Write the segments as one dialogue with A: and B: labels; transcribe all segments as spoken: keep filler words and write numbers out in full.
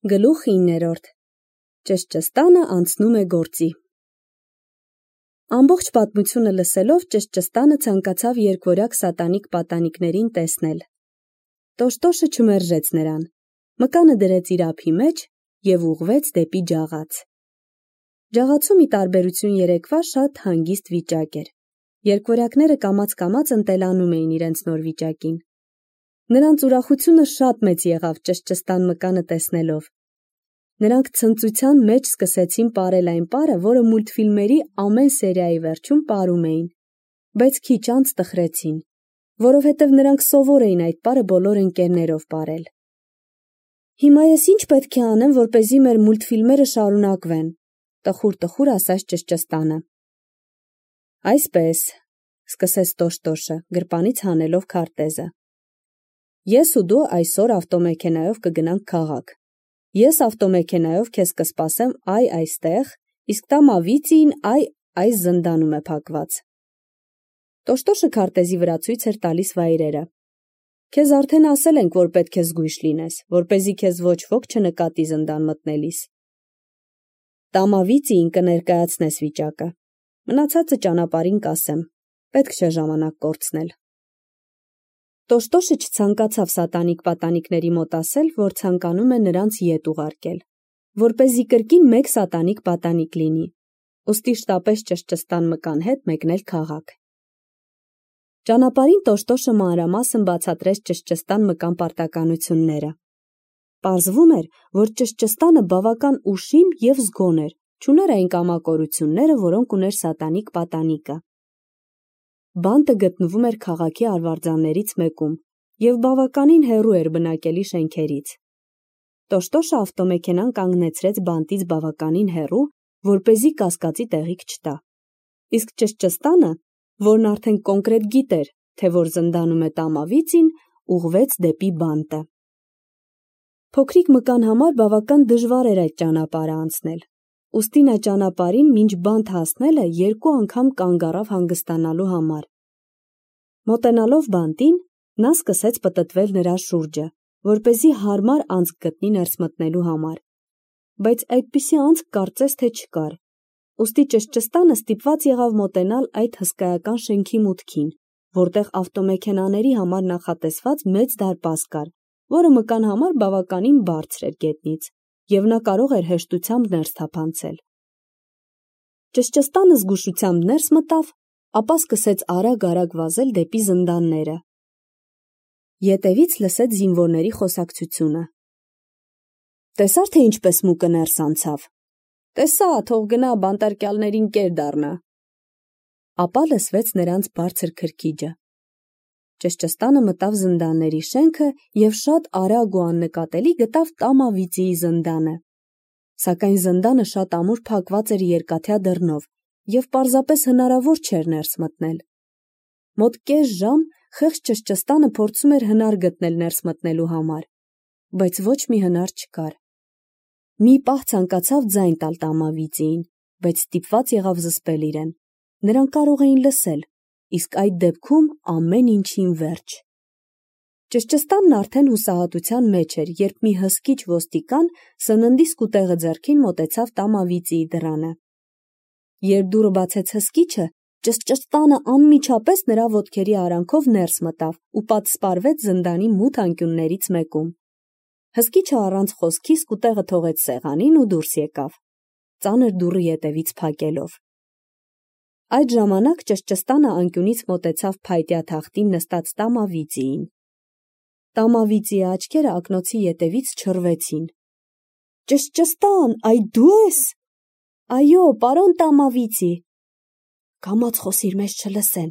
A: Գլուխ իններորդ. Ճշճստանը անցնում է գործի։ Ամբողջ պատմությունը լսելով ճշճստանը ցանկացավ երկվորյակ սատանիկ պատանիկներին տեսնել։ Տոշտոշը չմերժեց նրան, մկանը դրեց իր ափի մեջ և ուղղվեց դեպի ջաղաց։ Ջաղացու մի տարբերություն երեկվա շատ հանգիստ վիճակ էր։ Երկվորյակները կամաց-կամաց ընտելանում էին իրենց նոր վիճակին։ Նրանց ուրախությունը շատ մեծ եղավ ճշճստան մկանը տեսնելով։ Նրանք ցնծության մեջ սկսեցին պարել այն պարը, որը մուլտֆիլմերի ամեն սերիայի վերջում պարում էին, բայց քիչ անց տխրեցին, որովհետև նրանք սովոր էին այդ պարը բոլոր ընկերներով պարել։ Հիմա ես ինչ պետք է անեմ, որպեսզի մեր մուլտֆիլմերը շարունակվեն, տխուր-տխուր ասաց ճշճստանը։ Այսպես, սկսեց Տոշտոշը, գրպանից հանելով քարտեզը։ Ես ու դու այսօր ավտոմեքենայով կգնանք քաղաք։ Ես ավտոմեքենայով քեզ կսպասեմ այ այստեղ, իսկ Տամավիծին այ այս զնդանում է փակված։ Տոշտոշը քարտեզի վրա ցույց էր տալիս վայրերը։ Քեզ արդեն ասել ենք, որ պետք է զգույշ լինես, որպեսզի քեզ ոչ ոք չնկատի զնդան մտնելիս։ Տամավիծին կներկայացնես վիճակը։ Մնացածը ճանապարհին կասեմ, պետք չէ ժամանակ կորցնել։ Տոշտոշը չցանկացավ սատանիկ պատանիկների մոտ ասել, որ ցանկանում է նրանց ետ ուղարկել, որպեսզի կրկին մեկ սատանիկ պատանիկ լինի, ուստի շտապեց ճշճստան մկան հետ մեկնել քաղաք։ Ճանապարհին Տոշտոշը մանրամասն բացատրեց ճշճստան մկան պարտականությունները։ Պարզվում էր, որ ճշճստանը բավական ուշիմ և զգոն էր, չուներ այն կամակորությունները, որոնք ուներ սատանիկ պատանիկը։ Բանտը գտնվում էր քաղաքի արվարձաններից մեկում և բավականին հեռու էր բնակելի շենքերից։ Տոշտոշը ավտոմեքենան կանգնեցրեց բանտից բավականին հեռու, որպեսզի կասկածի տեղիք չտա։ Իսկ ճշճստանը, որն արդեն կոնկրետ գիտեր, թե որ զնդանում է Տամավիծին, ուղղվեց դեպի բանտը։ Փոքրիկ մկան համար բավական դժվար էր այդ ճանապարհը անցնել, ուստի նա ճանապարհին մինչ բանտ հասնելը երկու անգամ կանգ առավ հանգստանալու համար։ Մոտենալով բանտին, նա սկսեց պտտվել նրա շուրջը, որպեսզի հարմար անցք գտնի ներս մտնելու համար, բայց այդպիսի անցք կարծես թե չկար, ուստի ճշճստանը ստիպված եղավ մոտենալ այդ հսկայական շենքի մուտքին, որտեղ ավտոմեքենաների համար նախատեսված մեծ դարպաս կար, որը մկան համար բավականին բարձր էր գետնից, և նա կարող էր հեշտությամբ ներս թափանցել։ Ճշճստանը զգուշությամբ ներս մտավ, ապա սկսեց արագ-արագ վազել դեպի զնդանները։ Ետևից լսեց զինվորների խոսակցությունը։ Տեսա՞ր, թե ինչպես մուկը ներս անցավ։ Տեսա, թող գնա բանտարկյալներին կեր դառնա։ Ապա լսվեց նրանց բարձր քրքիջը։ Ճշճստանը մտավ զնդանների շենքը և շատ արագ ու աննկատելի գտավ Տամավիծիի զնդանը։ Սակայն զնդանը շատ ամուր փակված էր երկաթյա դռնով և պարզապես հնարավոր չէր ներս մտնել։ Մոտ կես ժամ խեղճ ճշճստանը փորձում էր հնար գտնել ներս մտնելու համար, բայց ոչ մի հնար չկար։ Մի պահ ցանկացավ ձայն տալ Տամավիծիին, բայց ստիպված եղավ զսպել իրեն։ Նրան կարող էին լսել, իսկ այդ դեպքում ամեն ինչին վերջ։ Ճշճստանն արդեն հուսահատության մեջ էր, երբ մի հսկիչ ոստիկան սննդի սկուտեղը ձեռքին մոտեցավ Տամավիծիի դռանը։ Երբ դուռը բացեց հսկիչը, ճշճստանը անմիջապես նրա ոտքերի արանքով ներս մտավ ու պատսպարվեց զնդանի մութ անկյուններից մեկում։ Հսկիչը առանց խոսքի սկուտեղը թողեց սեղանին ու դուրս եկավ, ծանր դուռը ետևից փակելով։ Այդ ժամանակ ճշճստանը անկյունից մոտեցավ փայտյա թախտին նստած Տամավիծիին։ Տամավիծիի աչքերը ակնոցի ետևից չռվեցին։ Ճշճստան, այ դու ես։ Այո, պարոն Տամավիծի։ Կամաց խոսիր, մեզ չլսեն։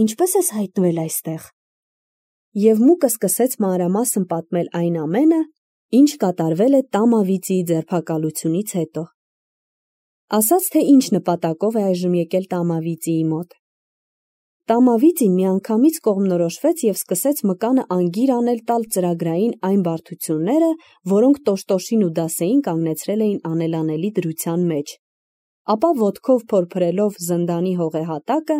A: Ինչպես ես հայտնվել այստեղ։ Եվ մուկը սկսեց մանրամասն պատմել այն ամենը, ինչ կատարվել է Տամավիծիի ձերբակալությունից հետո։ Ասաց, թե ինչ նպատակով է այժմ եկել Տամավիծիի մոտ։ Տամավիծին միանգամից կողմնորոշվեց և սկսեց մկանը անգիր անել տալ ծրագրային այն բարդությունները, որոնք Տոշտոշին ու Դասեին կանգնեցրել էին անելանելի դրության մեջ։ Ապա ոտքով փորփրելով զնդանի հողեհատակը,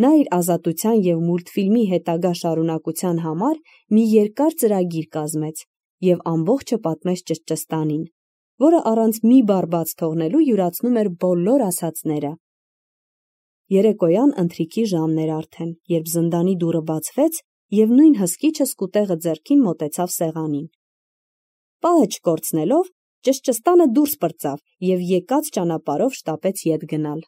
A: նա իր ազատության և մուլտֆիլմի հետագա շարունակության համար մի երկար ծրագիր կազմեց և ամբողջը պատմեց ճշճստանին, որը առանց մի բառ բաց թողնելու յուրացնում էր բոլոր ասածները։ Երեկոյան ընթրիքի ժամն էր արդեն, երբ զնդանի դուռը բացվեց և նույն հսկիչը սկուտեղը ձեռքին մոտեցավ սեղանին։ Պահը չկորցնելով, ճշճստանը դուրս պրծավ և եկած ճանապարհով շտապեց ետ գնալ։